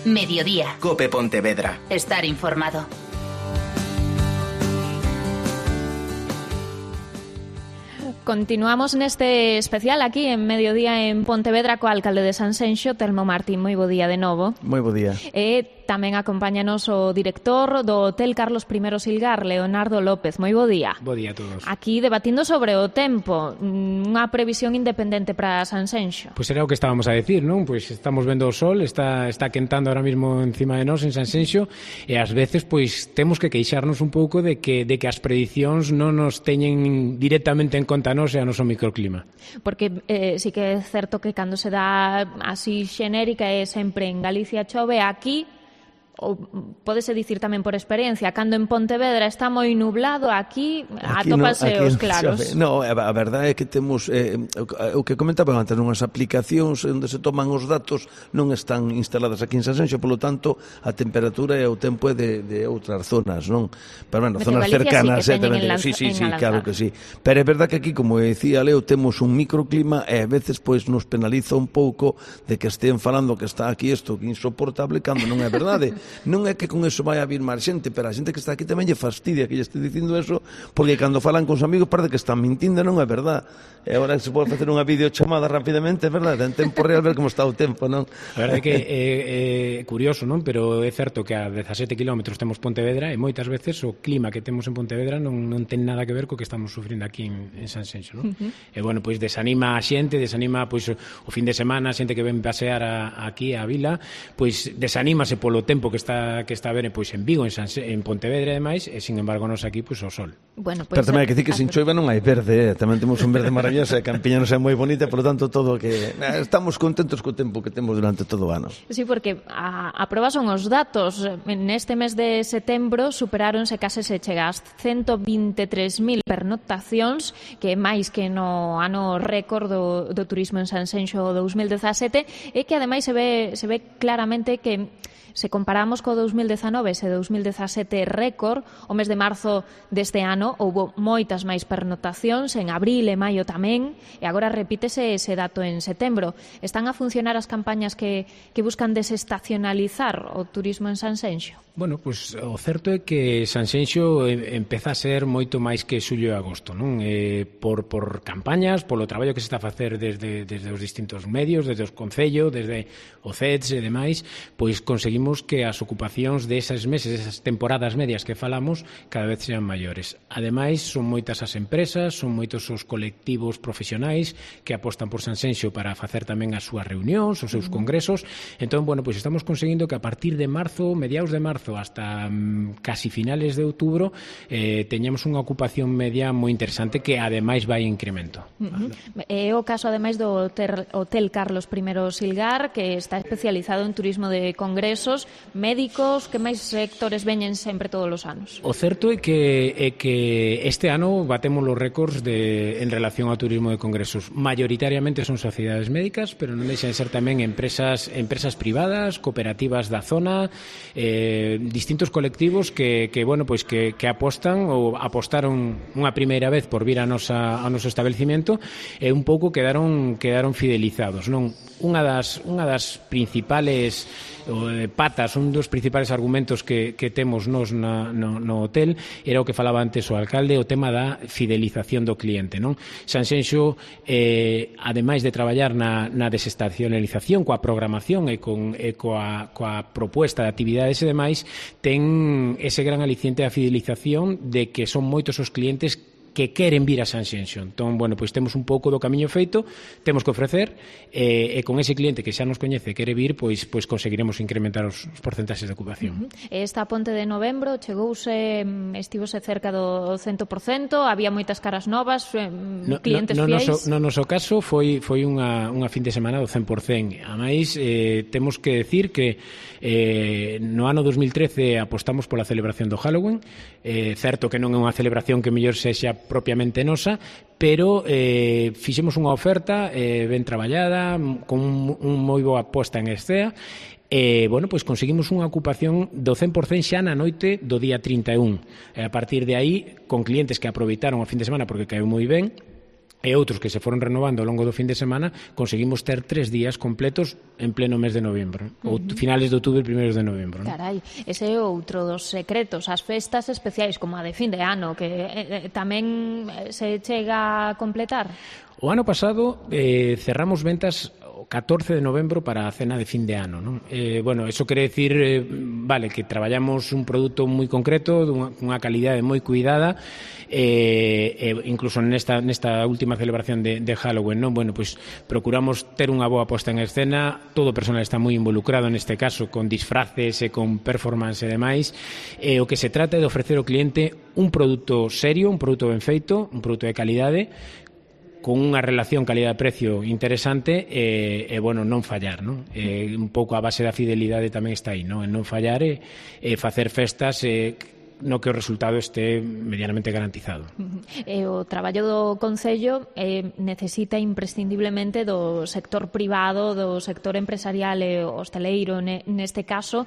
Mediodía. COPE Pontevedra. Estar informado. Continuamos neste especial aquí en Mediodía en Pontevedra co alcalde de Sanxenxo, Telmo Martín. Moi bo día de novo. Moi bo día. E tamén acompáñanos o director do Hotel Carlos I Silgar, Leonardo López. Moi bo día. Bo día a todos. Aquí debatindo sobre o tempo, unha previsión independente para Sanxenxo. Pois era o que estábamos a decir, non? Pois estamos vendo o sol, está quentando ahora mismo encima de nós en Sanxenxo e ás veces pois temos que queixarnos un pouco de que as predicións non nos teñen directamente en conta nos e a noso microclima. Porque sí que é certo que cando se dá así xenérica é sempre en Galicia chove, aquí ou pódese dicir tamén por experiencia, cando en Pontevedra está moi nublado, aquí atópase os claros. No, a verdade é que temos o que comentaba antes, unhas aplicacións onde se toman os datos non están instaladas aquí en Sanxenxo, polo tanto a temperatura e o tempo é de outras zonas, non? Pero bueno, zonas cercanas, sí, claro que sí. Pero é verdade que aquí, como decía Leo, temos un microclima e a veces pois nos penaliza un pouco de que estén falando que está aquí isto que insoportable cando non é verdade. Non é que con eso vai a vir máis xente, pero a xente que está aquí tamén lle fastidia que lle este dicindo eso, porque cando falan con os amigos parece que están mintindo, non é verdade. E agora se pode facer unha videochamada rapidamente, é verdade, en tempo real ver como está o tempo, non? A verdade é que é curioso, non? Pero é certo que a 17 kilómetros temos Pontevedra e moitas veces o clima que temos en Pontevedra non ten nada que ver co que estamos sufrindo aquí en Sanxenxo, non? E bueno, pois desanima a xente, desanima pois o fin de semana, a xente que ven pasear aquí a vila, pois desanímase polo tempo que está a ver pois en Vigo, en Pontevedra e demais, e sin embargo nos aquí pois o sol. Bueno, pois, pero tamén hai que dicir que sin choiva non hai verde, tamén temos un verde maravilloso, e a Campiña non é moi bonita, por lo tanto todo que estamos contentos co tempo que temos durante todo o ano. Sí, porque a proba son os datos. Neste mes de setembro superáronse case se chega ás 123.000 pernoctacións, que é máis que no ano récord do turismo en Sanxenxo 2017, e que ademais se ve claramente que se comparamos co 2019 e 2017 récord, o mes de marzo deste ano houbo moitas máis pernoctacións, en abril e maio tamén, e agora repítese ese dato en setembro. Están a funcionar as campañas que buscan desestacionalizar o turismo en Sanxenxo? Bueno, pois o certo é que Sanxenxo empeza a ser moito máis que xullo e agosto, non? Por campañas, polo traballo que se está a facer desde os distintos medios, desde os concellos, desde o CEDS e demais, pois conseguimos que as ocupacións desas meses, esas temporadas medias que falamos, cada vez sean maiores. Ademais, son moitas as empresas, son moitos os colectivos profesionais que apostan por Sanxenxo para facer tamén as súas reunións, os seus congresos. Entón, bueno, pois estamos conseguindo que a partir de marzo, mediados de marzo, hasta casi finales de outubro, teñamos unha ocupación media moi interesante que ademais vai en incremento. É o caso ademais do Hotel Carlos I Silgar, que está especializado en turismo de congresos, médicos, que máis sectores veñen sempre todos os anos? O certo é que este ano batemos os récords en relación ao turismo de congresos. Mayoritariamente son sociedades médicas, pero non deixan de ser tamén empresas privadas, cooperativas da zona, distintos colectivos que apostan ou apostaron unha primeira vez por vir ao noso establecimento e un pouco quedaron fidelizados, non? Unha das principales patas, un dos principales argumentos que temos nos no hotel era o que falaba antes o alcalde, o tema da fidelización do cliente, non? Sanxenxo, ademais de traballar na desestacionalización, coa programación e coa proposta de actividades e demais, ten ese gran aliciente da fidelización de que son moitos os clientes que queren vir a Sanxenxo. Entón, bueno, pois temos un pouco do camiño feito, temos que ofrecer, e con ese cliente que xa nos coñece e quere vir, pois conseguiremos incrementar os porcentaxes de ocupación. Esta ponte de novembro estivose cerca do 100%, había moitas caras novas, clientes fiéis? No noso caso foi unha fin de semana do 100%. A máis, temos que decir que no ano 2013 apostamos pola celebración do Halloween. Certo que non é unha celebración que mellor sexa propiamente nosa, pero fixemos unha oferta ben traballada, con un moi boa posta en escena, e, bueno, pois conseguimos unha ocupación do 100% xa na noite do día 31. A partir de aí, con clientes que aproveitaron o fin de semana porque caeu moi ben, e outros que se foron renovando ao longo do fin de semana, conseguimos ter 3 días completos en pleno mes de novembro, ou finales de outubro e primeiros de novembro. Carai, ese é outro dos secretos, as festas especiais como a de fin de ano, que tamén se chega a completar. O ano pasado cerramos ventas o 14 de novembro para a cena de fin de ano, non? Bueno, eso quere decir, vale, que traballamos un produto moi concreto, dunha calidade moi cuidada, incluso nesta última celebración de Halloween, non? Bueno, pois procuramos ter unha boa posta en escena, todo o personal está moi involucrado neste caso, con disfraces e con performance e demais, o que se trata é de ofrecer ao cliente un produto serio, un produto ben feito, un produto de calidade, con unha relación calidad-precio interesante e bueno, non fallar, non? Un pouco a base da fidelidade tamén está aí, non? En non fallar e facer festas no que o resultado este medianamente garantizado. O traballo do Concello necesita imprescindiblemente do sector privado, do sector empresarial e hosteleiro neste caso,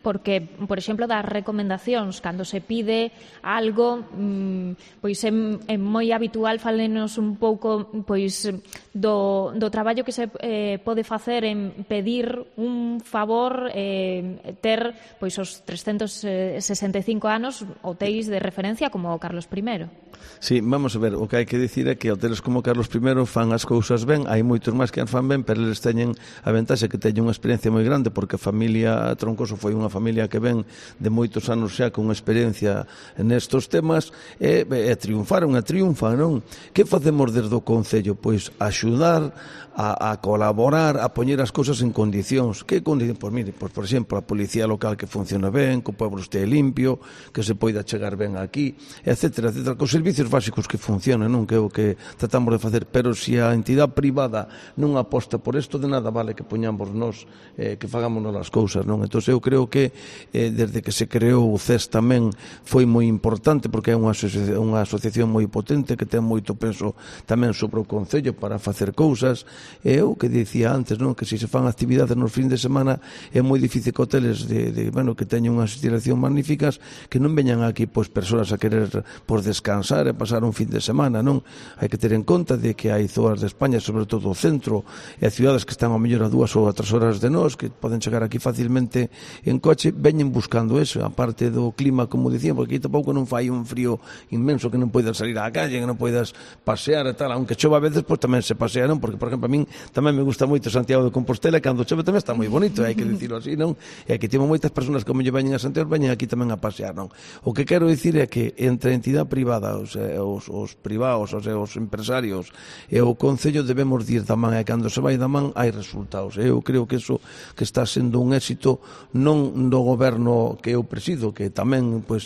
porque, por exemplo, das recomendacións, cando se pide algo, pois é moi habitual falenos un pouco pois do traballo que se pode facer en pedir un favor, ter pois os 365 anos hotéis de referencia como o Carlos I. Sí, vamos a ver, o que hai que dicir é que hoteles como Carlos I fan as cousas ben, hai moitos máis que as fan ben, pero eles teñen a ventaxa que teñen unha experiencia moi grande, porque a familia Troncoso foi unha familia que ven de moitos anos xa con experiencia nestos temas e triunfaron, non? Que facemos desde o Concello? Pois axudar a colaborar, a poñer as cousas en condicións. Que condicións? Pois mire, por exemplo, a policía local que funciona ben, que o pueblo este limpio, que se poida chegar ben aquí, etcétera, etcétera, cos servicios básicos que funcionen, non? Que é o que tratamos de facer, pero se a entidade privada non aposta por isto, de nada vale que poñamos nós, que fagamos as cousas, non? Entón, eu creo que desde que se creou o CES tamén foi moi importante, porque é unha asociación moi potente que ten moito peso tamén sobre o Concello para facer cousas. É o que dicía antes, non? Que se fan actividades nos fins de semana é moi difícil que hoteles que teñen unhas instalacións magníficas que non veñan aquí pois persoas a querer descansar e pasar un fin de semana, non? Hai que ter en conta de que hai zonas de España, sobre todo o centro, e cidades que están ao mellor a 2 ou a 3 horas de nós, que poden chegar aquí facilmente en coche, veñen buscando eso, a parte do clima, como dicía, porque aquí tampouco non fai un frío inmenso que non poidas salir á calle, que non poidas pasear e tal, aunque chova a veces, pois tamén se pasea, non? Porque, por exemplo, a min tamén me gusta moito Santiago de Compostela, e cando chove tamén está moi bonito, hai que dicirlo así, non? E aquí temos moitas persoas que como veñen a Santiago, veñen aquí tamén a pasear, non? O que quero dicir é que entre a entidade privada, os privados, os empresarios e o Concello debemos ir da man, e cando se vai da man hai resultados. Eu creo que eso que está sendo un éxito non do goberno que eu presido, que tamén pois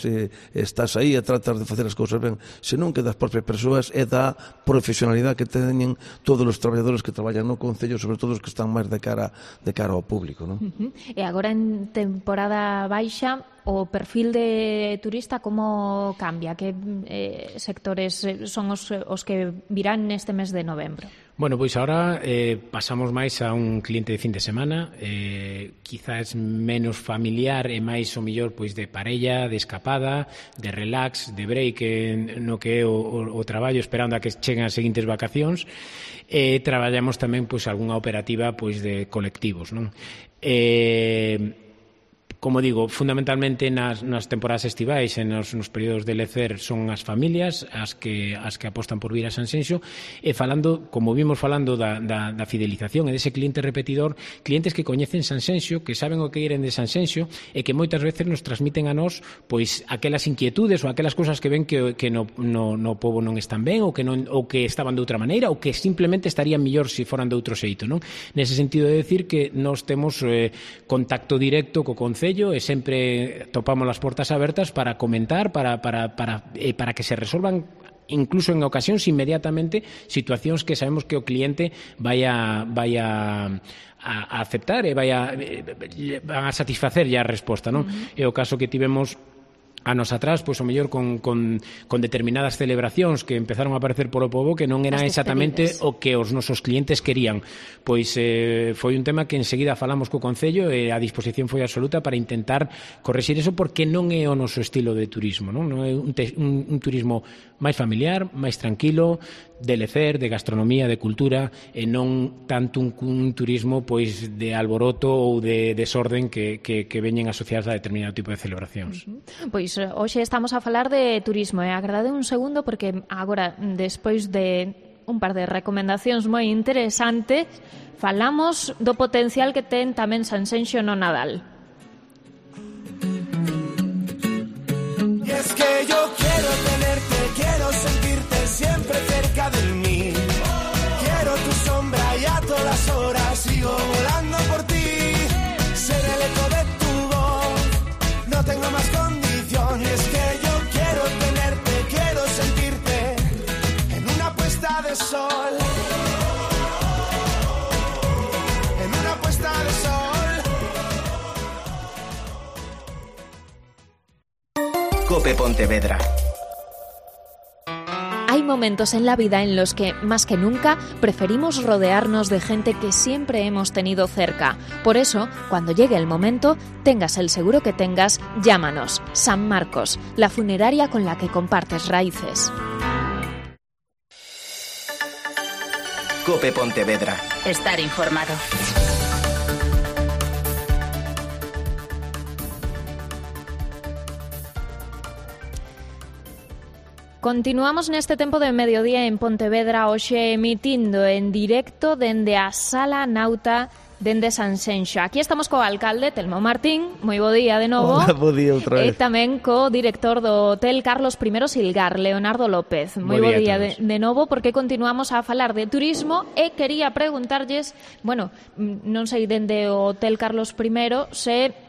estás aí e tratas de facer as cousas ben, senón que das propias persoas e da profesionalidade que teñen todos os traballadores que traballan no Concello, sobre todo os que están máis de cara ao público, non? E agora en temporada baixa, o perfil de turista como cambia? Que sectores son os que virán neste mes de novembro? Bueno, pois agora pasamos máis a un cliente de fin de semana, quizás menos familiar e máis o mellor pois de parella, de escapada, de relax, de break no que é o traballo, esperando a que cheguen as seguintes vacacións. Traballamos tamén pois algunha operativa pois de colectivos, non? Como digo, fundamentalmente nas temporadas estivais e nos períodos de lecer son as familias as que apostan por vir a Sanxenxo, e falando, como vimos falando da fidelización e dese cliente repetidor, clientes que coñecen Sanxenxo, que saben o que queren de Sanxenxo e que moitas veces nos transmiten a nós pois aquelas inquietudes ou aquelas cousas que ven que no pobo non están ben, ou que estaban de outra maneira, ou que simplemente estarían mellor se foran de outro xeito, non? Nese sentido de decir que nós temos contacto directo co Concello e sempre topamos as portas abertas para comentar, para que se resolvan incluso en ocasións inmediatamente situacións que sabemos que o cliente vai a aceptar e van a satisfacer a resposta, non? É o caso que tivemos anos atrás, pois o mellor con determinadas celebracións que empezaron a aparecer polo pobo que non eran exactamente o que os nosos clientes querían. Pois foi un tema que enseguida falamos co Concello e a disposición foi absoluta para intentar correxir eso, porque non é o noso estilo de turismo, non é un turismo máis familiar, máis tranquilo, de lecer, de gastronomía, de cultura, e non tanto un turismo pois de alboroto ou de desorden que veñen asociadas a determinado tipo de celebracións. Pois hoxe estamos a falar de turismo e agradade un segundo porque agora, despois de un par de recomendacións moi interesantes, falamos do potencial que ten tamén Sanxenxo no Nadal. Y es que yo quiero tenerte, quiero sentirte siempre cerca de mí. Quiero tu sombra y a todas las horas sigo volando por ti. Ser el eco de tu voz, no tengo más condición. Y es que yo quiero tenerte, quiero sentirte en una puesta de sol. En una puesta de sol. COPE Pontevedra. Hay momentos en la vida en los que, más que nunca, preferimos rodearnos de gente que siempre hemos tenido cerca. Por eso, cuando llegue el momento, tengas el seguro que tengas, llámanos. San Marcos, la funeraria con la que compartes raíces. COPE Pontevedra. Estar informado. Continuamos neste tempo de mediodía en Pontevedra, hoxe emitindo en directo dende a Sala Nauta dende Sanxenxo. Aquí estamos co alcalde, Telmo Martín. Moi bo día de novo. Hola, bo día outra vez. E tamén co director do Hotel Carlos I Silgar, Leonardo López. Moi bo día de novo, porque continuamos a falar de turismo e quería preguntarlles, bueno, non sei dende o Hotel Carlos I se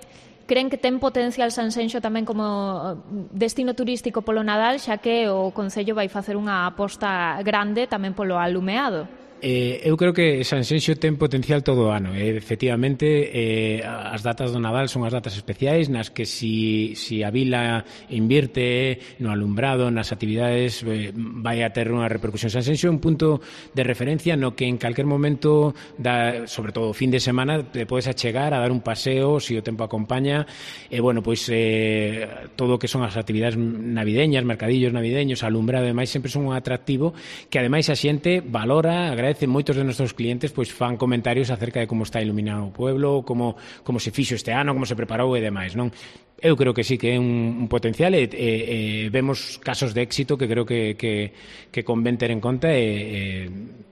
creen que ten potencial Sanxenxo tamén como destino turístico polo Nadal, xa que o Concello vai facer unha aposta grande tamén polo alumeado. Eu creo que Sanxenxo ten potencial todo o ano. Efectivamente, as datas do Nadal son as datas especiais nas que si a vila invirte no alumbrado, nas actividades, vai a ter unha repercusión. Sanxenxo é un punto de referencia no que en calquer momento, sobre todo o fin de semana, te podes achegar a dar un paseo, se o tempo acompaña. Bueno, pois todo o que son as actividades navideñas, mercadillos navideños, alumbrado e demais, sempre son un atractivo que ademais a xente valora, agradece. Moitos de nosos clientes pois fan comentarios acerca de como está iluminado o pueblo, como se fixo este ano, como se preparou e demais, non? Eu creo que sí que é un potencial e vemos casos de éxito que creo que convén ter en conta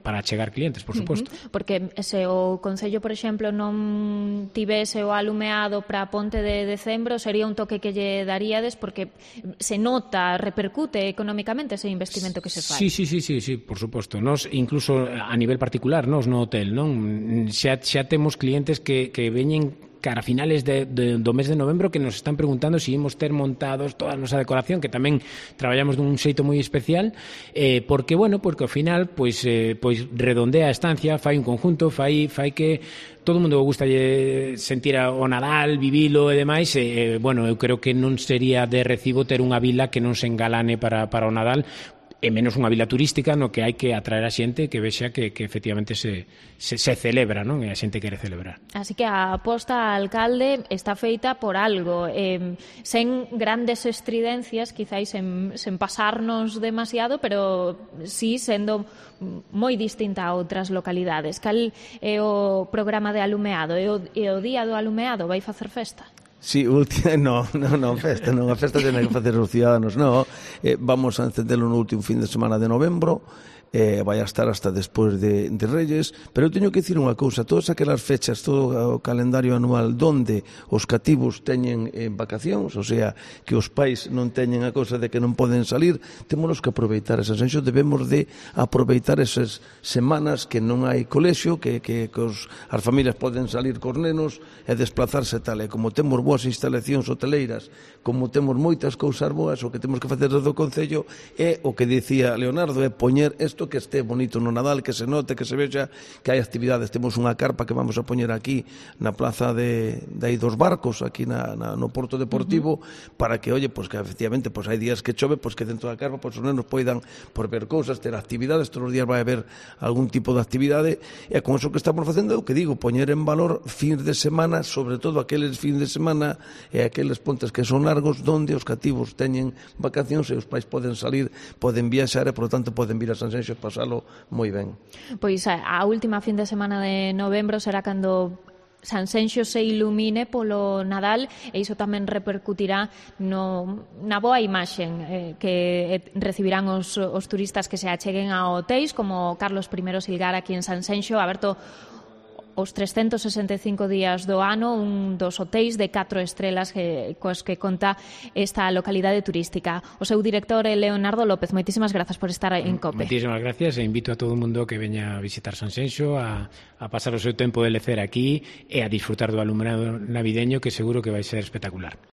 para chegar clientes, por suposto. Porque se o Concello, por exemplo, non tivese o alumeado para a ponte de decembro, sería un toque que lle daríades porque se nota, repercute económicamente ese investimento que se fai. Sí, por suposto. Nos, incluso a nivel particular, nos no hotel, non? Xa temos clientes que veñen cara a finales do mes de novembro que nos están preguntando se imos ter montados toda a nosa decoración, que tamén traballamos dun xeito moi especial, porque ao final pois redondea a estancia, fai un conjunto, fai que todo o mundo gusta sentir o Nadal, vivilo e demais, eu creo que non sería de recibo ter unha vila que non se engalane para o Nadal, e menos unha vila turística no que hai que atraer a xente que vexa que efectivamente se celebra, non? E a xente quere celebrar. Así que a aposta alcalde está feita por algo, sen grandes estridencias, quizáis sen pasarnos demasiado, pero sí sendo moi distinta a outras localidades. Cal é o programa de alumeado? E o día do alumeado vai facer festa? Sí, festa, non, a festa ten que facer os ciudadanos, vamos a encenderlo no último fin de semana de novembro, vai a estar hasta despois de Reyes, pero eu teño que dicir unha cousa, todas aquelas fechas, todo o calendario anual donde os cativos teñen vacacións, o sea, que os pais non teñen a cousa de que non poden salir, temos que aproveitar esa sensación, debemos de aproveitar esas semanas que non hai colexio, que as familias poden salir cos nenos e desplazarse tal, e como temos boas instalacións hoteleiras, como temos moitas cousas boas, o que temos que facer desde o Concello é o que dicía Leonardo, é poñer isto que este bonito no Nadal, que se note, que se vexa que hai actividades. Temos unha carpa que vamos a poñer aquí na plaza de aí dos barcos, aquí no Porto Deportivo, para que, oye, pues que efectivamente pues hai días que chove, pues que dentro da carpa pues os nenos poidan por ver cousas, ter actividades, todos os días vai haber algún tipo de actividade, e con eso que estamos facendo, o que digo, poñer en valor fins de semana, sobre todo aqueles fins de semana e aqueles pontes que son largos, donde os cativos teñen vacacións e os pais poden salir, poden viaxar e, por lo tanto, poden vir a Sanxenxo e pasalo moi ben. Pois a última fin de semana de novembro será cando Sanxenxo se ilumine polo Nadal, e iso tamén repercutirá na boa imaxe que recibirán os turistas que se acheguen a hotéis como Carlos I Silgar aquí en Sanxenxo, aberto os 365 días do ano, un dos hotéis de 4 estrelas cos que conta esta localidade turística. O seu director é Leonardo López. Moitísimas grazas por estar en COPE. Moitísimas gracias, e invito a todo o mundo que veña a visitar Sanxenxo, a pasar o seu tempo de lecer aquí e a disfrutar do alumbrado navideño, que seguro que vai ser espectacular.